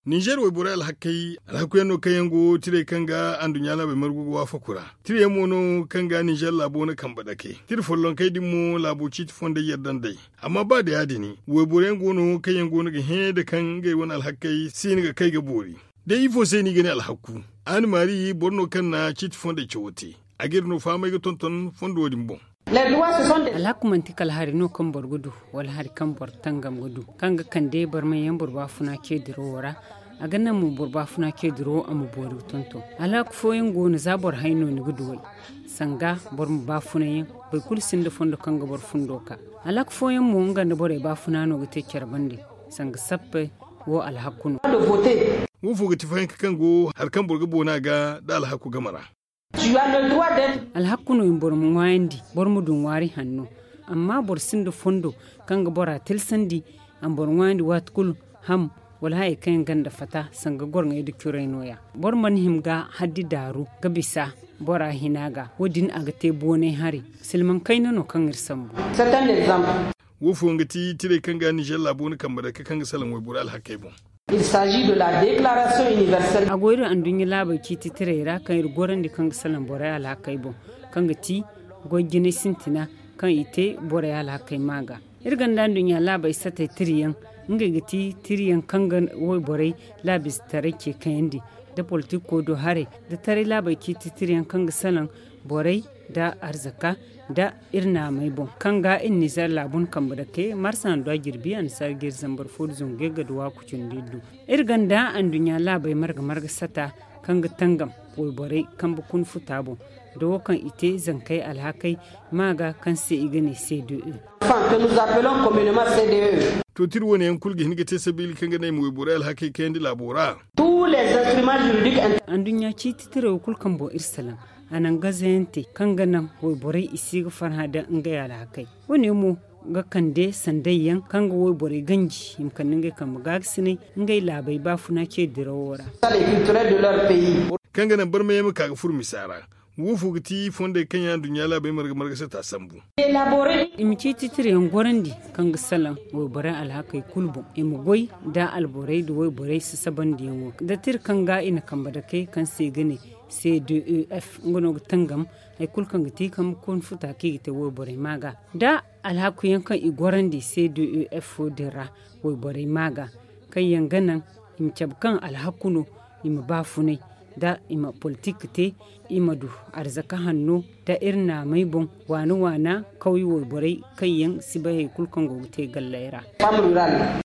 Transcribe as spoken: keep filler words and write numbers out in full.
Ninzeer wayborey alhakey alhaku yaŋ no kaŋ yaŋ go tirey kaŋ ga anduɲɲa laabey margu ga waafaku ra. Tira yaŋ mo no kaŋ ga ninzeer laabo na kambe dake. Tira follonkey din mo laabo ciiti fondey yadda nd'ey. Amma ba da ya- din, wayboro yaŋ go no kaŋ yaŋ go no ga hẽ nda kaŋ ngey wane alhakey si hin ga kay ga boori. Day ifo se no i ga ne alhaku? Aani maari boro no kaŋ na ciiti fondey cawo te. A ga iri no fahamay ga tonton fondo din boŋ. Alhaku manti kala hari no kaŋ boro ga du, wala hari kaŋ boro tangam ga du, kaŋ ga kande barmay yaŋ boro baafuna ce diro wo ra. A ga naŋ mo boro baafuna ce diro wo a ma boori ga tonton. Alhaku fooyaŋ go no za boro hay no ni ga duw'ey. Sanga boro ma baafuna yaŋ, boro kulu sinda fondo kaŋ ga boro fundo ka. Alhaku fooyaŋ mo nga nda borey baafuna no ga te care bande. Sanga sappey wo alhaku no. Wo fo ga ti fahinka kaŋ go hari kaŋ boro ga boona ga nda alhaku game ra. Alhaku no i ma boro ma ŋwaayandi, boro ma du ŋwaari hanno. Amma boro sinda fondo kaŋ ga bora tilsandi, a ma boro ŋwaayandi waati kulu, ham wala hayey kaŋ yaŋ gonda fata sanga gorŋey nda curey no- ya. Boro mana hima ga haddi daaru ga bisa bora hina ga. Wo- din a ga te boonay hari. Silmaŋ kayna no kaŋ iri sambu. Wo fooyaŋ ga ti tirey kaŋ ga ninzeer laabo na kambe dake kaŋ ga salaŋ wayborey alhakey boŋ. A go iri anduɲɲa laabey ciiti tirey ra kaŋ iri gorandi kaŋ ga salaŋ borey alhakey boŋ, kaŋ ga ti goy jinay sintina kaŋ i te borey alhakey ma ga. Iri gonda anduɲɲa laabey satey tirayaŋ, ngey ga ti tirayaŋ kaŋ ga wayborey laabize taray ce kayandi, nda politik koy do haray, nda taray laabey ciiti tirayaŋ kaŋ ga salaŋ borey nda arzaka nda iri naamey boŋ, kaŋ ga iri ninzeer laabu na kambe dake marsa nda jirbi annasaara ga iri zambar fo nda zangu ga iri ga duw'a ku cindi iri du. Iri gonda anduɲɲa laabey marga marga sata kaŋ ga tangam wayborey kambe kuna futa boŋ, nda wo kaŋ i te zankey alhakey ma ga kaŋ se i ga ne c d e. To tira wane yaŋ kulu ga hin ga te sabiila kaŋ ga ne i ma wayborey alhakey kayandi laabo ra. Anduɲɲa ciiti tirey wo kulu kaŋ boŋ iri salaŋ a naŋ gazayante kaŋ ga naŋ wayborey i si ga farhã nda ngey alhakey. Wo- ne mo ga kande sanday yaŋ kaŋ ga wayborey ganji i ma kande ngey kambe gaagasinay ngey laabey baafuna ce dirawo ra. Kaŋ ga naŋ barmay yaŋ ma ka ga furo misa ra. Wo fo ga ti fondey kaŋ yaŋ anduɲɲa laabey marga marga sata sambu. I ma ciiti tirayaŋ gorandi kaŋ ga salaŋ wayborey alhakey kulu boŋ, i ma goy nda alborey nda wayborey sasabandiyaŋo, nda tira kaŋ ga i na kambe dake kaŋ se i ga ne c d e f, nga no ga tangam hari kulu kaŋ ga ti kambe kuna futa kaŋ i ga te wayborey ma ga, nda alhaku yaŋ kaŋ i gorandi c d e f wo- din ra wayborey ma ga, kaŋ yaŋ ga naŋ i ma cabe kaŋ alhaku no, i ma baafunay, nda i ma politik te, i ma du arzaka hanno nda iri naamey boŋ, waana waana kawye wayborey kaŋ yaŋ si bay hari kulu kaŋ go ga te galley ra.